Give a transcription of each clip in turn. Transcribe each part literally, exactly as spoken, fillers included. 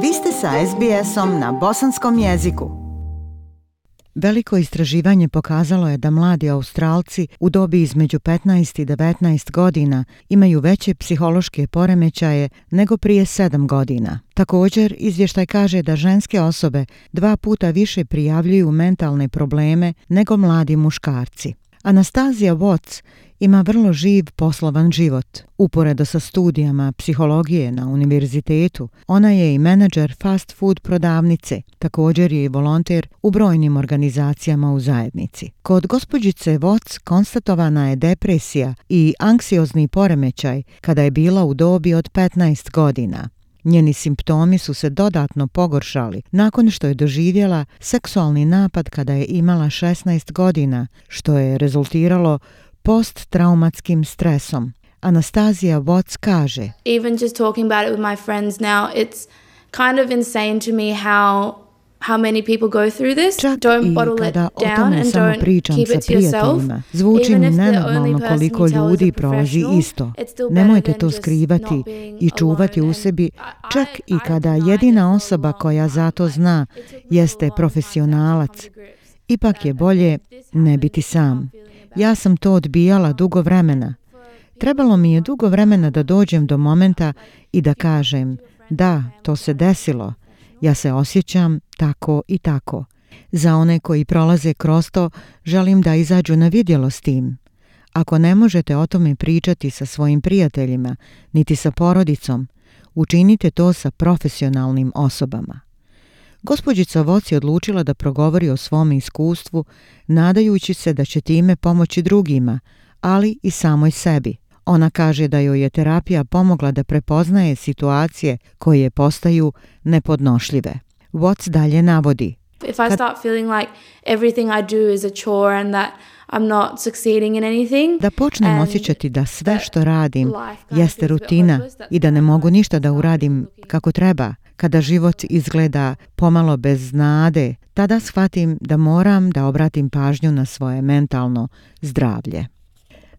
Vi ste sa es be esom na bosanskom jeziku. Veliko istraživanje pokazalo je da mladi Australci u dobi između petnaest i devetnaest godina imaju veće psihološke poremećaje nego prije sedam godina. Također, izvještaj kaže da ženske osobe dva puta više prijavljuju mentalne probleme nego mladi muškarci. Anastazija Watts ima vrlo živ poslovan život. Uporedo sa studijama psihologije na univerzitetu, ona je i menadžer fast food prodavnice, također je i volonter u brojnim organizacijama u zajednici. Kod gospođice Watts konstatovana je depresija i anksiozni poremećaj kada je bila u dobi od petnaest godina. Njeni simptomi su se dodatno pogoršali nakon što je doživjela seksualni napad kada je imala šesnaest godina, što je rezultiralo posttraumatskim stresom. Anastazija Watts kaže: Even just talking about it with my friends now, it's kind of insane to me how how many people go through this. Čak Don't bottle it down and don't keep it to yourself. Zvuči mi nenormalno koliko ljudi prolazi isto. Nemojte to skrivati i čuvati u sebi, čak i kada jedina osoba koja za to zna jeste profesionalac. Ipak je bolje ne biti sam. Ja sam to odbijala dugo vremena. Trebalo mi je dugo vremena da dođem do momenta i da kažem: da, to se desilo. Ja se osjećam tako i tako. Za one koji prolaze kroz to, želim da izađu na vidjelo s tim. Ako ne možete o tome pričati sa svojim prijateljima, niti sa porodicom, učinite to sa profesionalnim osobama. Gospođica Watts je odlučila da progovori o svom iskustvu, nadajući se da će time pomoći drugima, ali i samoj sebi. Ona kaže da joj je terapija pomogla da prepoznaje situacije koje postaju nepodnošljive. Watts dalje navodi: If I start feeling like everything I do is a chore and that I'm not succeeding in anything, da počnem osjećati da sve što radim jeste rutina i da ne mogu ništa da uradim kako treba, kada život izgleda pomalo bez nade, tada shvatim da moram da obratim pažnju na svoje mentalno zdravlje.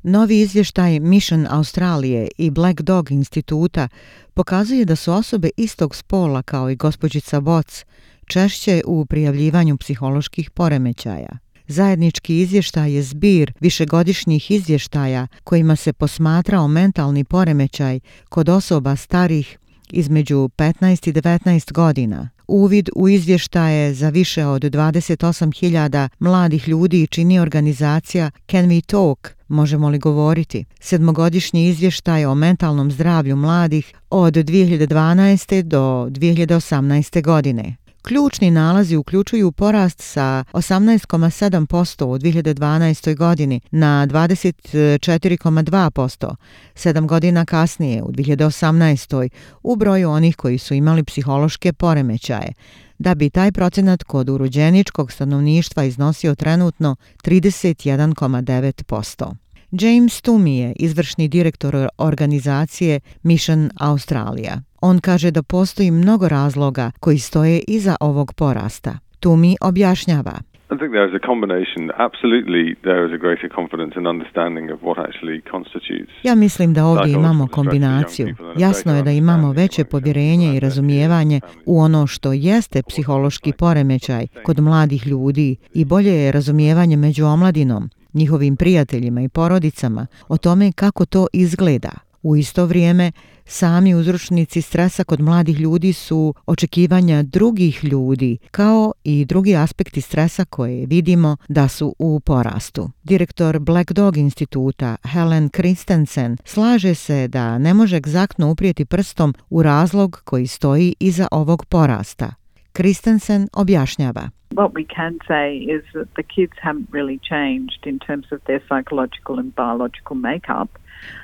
Novi izvještaj Mission Australije i Black Dog instituta pokazuje da su osobe istog spola kao i gospođica Watts češće u prijavljivanju psiholoških poremećaja. Zajednički izvještaj je zbir višegodišnjih izvještaja kojima se posmatrao mentalni poremećaj kod osoba starih između petnaest i devetnaest godina. Uvid u izvještaje za više od dvadeset osam hiljada mladih ljudi čini organizacija Can We Talk, možemo li govoriti? Sedmogodišnji izvještaj o mentalnom zdravlju mladih od dvije hiljade dvanaeste do dvije hiljade osamnaeste godine. Ključni nalazi uključuju porast sa osamnaest zarez sedam posto u dvije hiljade dvanaestoj godini na dvadeset četiri zarez dva posto, sedam godina kasnije u dvije hiljade osamnaestoj u broju onih koji su imali psihološke poremećaje, da bi taj procenat kod urođeničkog stanovništva iznosio trenutno trideset jedan zarez devet posto. James Toomey je izvršni direktor organizacije Mission Australia. On kaže da postoji mnogo razloga koji stoje iza ovog porasta. Toomey objašnjava: I think there is a combination. Absolutely, there is a greater confidence and understanding of what actually constitutes. Ja mislim da ovdje imamo kombinaciju. Jasno je da imamo veće povjerenje i razumijevanje u ono što jeste psihološki poremećaj kod mladih ljudi i bolje je razumijevanje među omladinom, njihovim prijateljima i porodicama o tome kako to izgleda. U isto vrijeme, sami uzročnici stresa kod mladih ljudi su očekivanja drugih ljudi, kao i drugi aspekti stresa koje vidimo da su u porastu. Direktor Black Dog instituta Helen Christensen slaže se da ne može egzaktno uprijeti prstom u razlog koji stoji iza ovog porasta. Christensen objašnjava: What we can say is that the kids haven't really changed in terms of their psychological and biological makeup.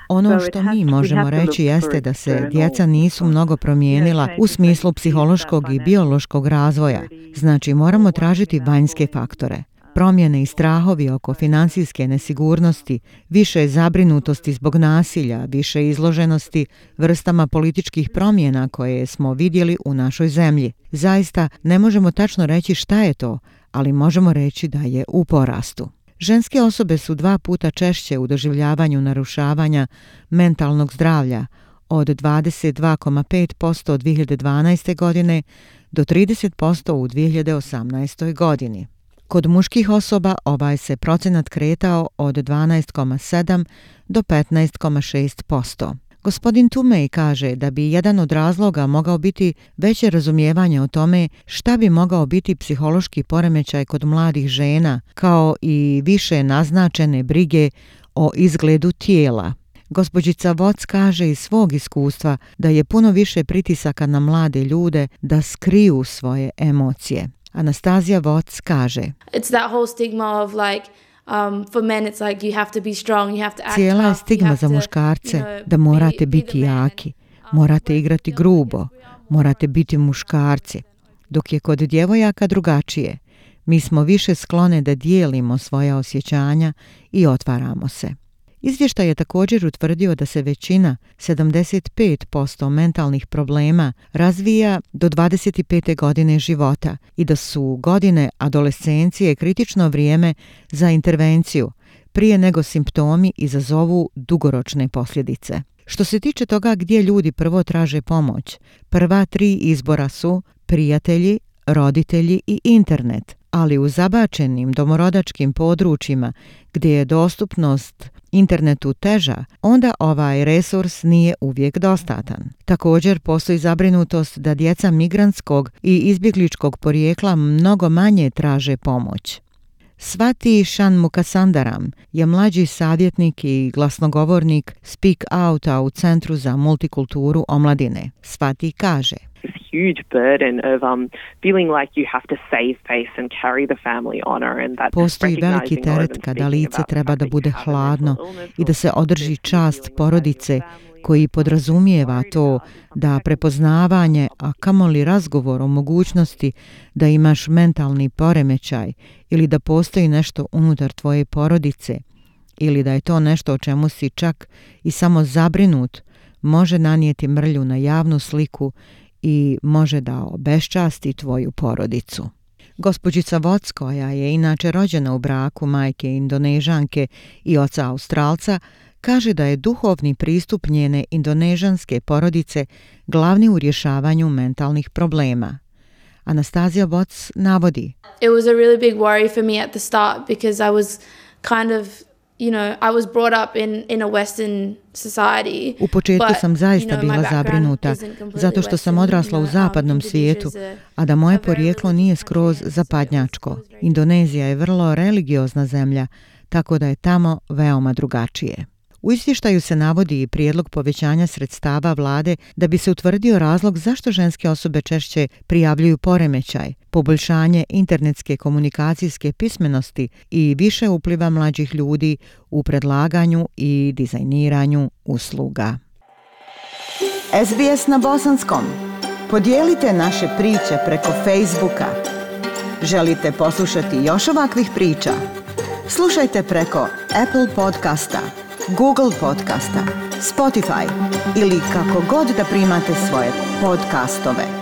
Ono što mi možemo reći jeste da se djeca nisu mnogo promijenila u smislu psihološkog i biološkog razvoja. Znači, moramo tražiti vanjske faktore. Promjene i strahovi oko financijske nesigurnosti, više zabrinutosti zbog nasilja, više izloženosti vrstama političkih promjena koje smo vidjeli u našoj zemlji. Zaista ne možemo tačno reći šta je to, ali možemo reći da je u porastu. Ženske osobe su dva puta češće u doživljavanju narušavanja mentalnog zdravlja od dvadeset dva zarez pet posto dvije hiljade dvanaeste. godine do trideset posto u dvije hiljade osamnaestoj. godini. Kod muških osoba ovaj se procenat kretao od dvanaest zarez sedam do petnaest zarez šest posto. Gospodin Tumej kaže da bi jedan od razloga mogao biti veće razumijevanje o tome šta bi mogao biti psihološki poremećaj kod mladih žena, kao i više naznačene brige o izgledu tijela. Gospođica Watts kaže iz svog iskustva da je puno više pritisaka na mlade ljude da skriju svoje emocije. Anastazija Watts kaže: It's that whole stigma of like Um, for men it's like you have to be strong, you have to act Cijela je tough, stigma za muškarce you know, da morate be, be biti jaki, morate igrati grubo, morate biti muškarci. Dok je kod djevojaka drugačije. Mi smo više sklone da dijelimo svoja osjećanja i otvaramo se. Izvještaj je također utvrdio da se većina, sedamdeset pet posto mentalnih problema, razvija do dvadeset pete godine života i da su godine adolescencije kritično vrijeme za intervenciju, prije nego simptomi izazovu dugoročne posljedice. Što se tiče toga gdje ljudi prvo traže pomoć, prva tri izbora su prijatelji, roditelji i internet, ali u zabačenim domorodačkim područjima gdje je dostupnost internetu teža, onda ovaj resurs nije uvijek dostatan. Također postoji zabrinutost da djeca migrantskog i izbjegličkog porijekla mnogo manje traže pomoć. Swati Shanmugasundaram je mlađi savjetnik i glasnogovornik Speak Outa u Centru za multikulturu omladine. Swati kaže: huge burden of um, feeling like you have to save face and carry the family honor and that Postoji veliki teret kada lice treba da bude hladno i da se održi čast porodice, koji podrazumijeva to da prepoznavanje, a kamoli razgovor o mogućnosti da imaš mentalni poremećaj ili da postoji nešto unutar tvoje porodice ili da je to nešto o čemu si čak i samo zabrinut, može nanijeti mrlju na javnu sliku i može da obeščasti tvoju porodicu. Gospođica Watts, koja je inače rođena u braku majke Indonežanke i oca Australca, kaže da je duhovni pristup njene indonežanske porodice glavni u rješavanju mentalnih problema. Anastazija Watts navodi: It was a really big worry for me at the start because I was kind of You know, I was brought up in, in a Western society. U početku but, sam zaista you know, bila zabrinuta zato što sam odrasla u zapadnom svijetu, a da moje porijeklo nije skroz zapadnjačko. Indonezija je vrlo religiozna zemlja, tako da je tamo veoma drugačije. U izvještaju se navodi i prijedlog povećanja sredstava vlade da bi se utvrdio razlog zašto ženske osobe češće prijavljuju poremećaj, poboljšanje internetske komunikacijske pismenosti i više upliva mlađih ljudi u predlaganju i dizajniranju usluga. S B S na bosanskom. Podijelite naše priče preko Facebooka. Želite poslušati još ovakvih priča? Slušajte preko Apple podcasta, Google podcasta, Spotify ili kako god da primate svoje podcastove.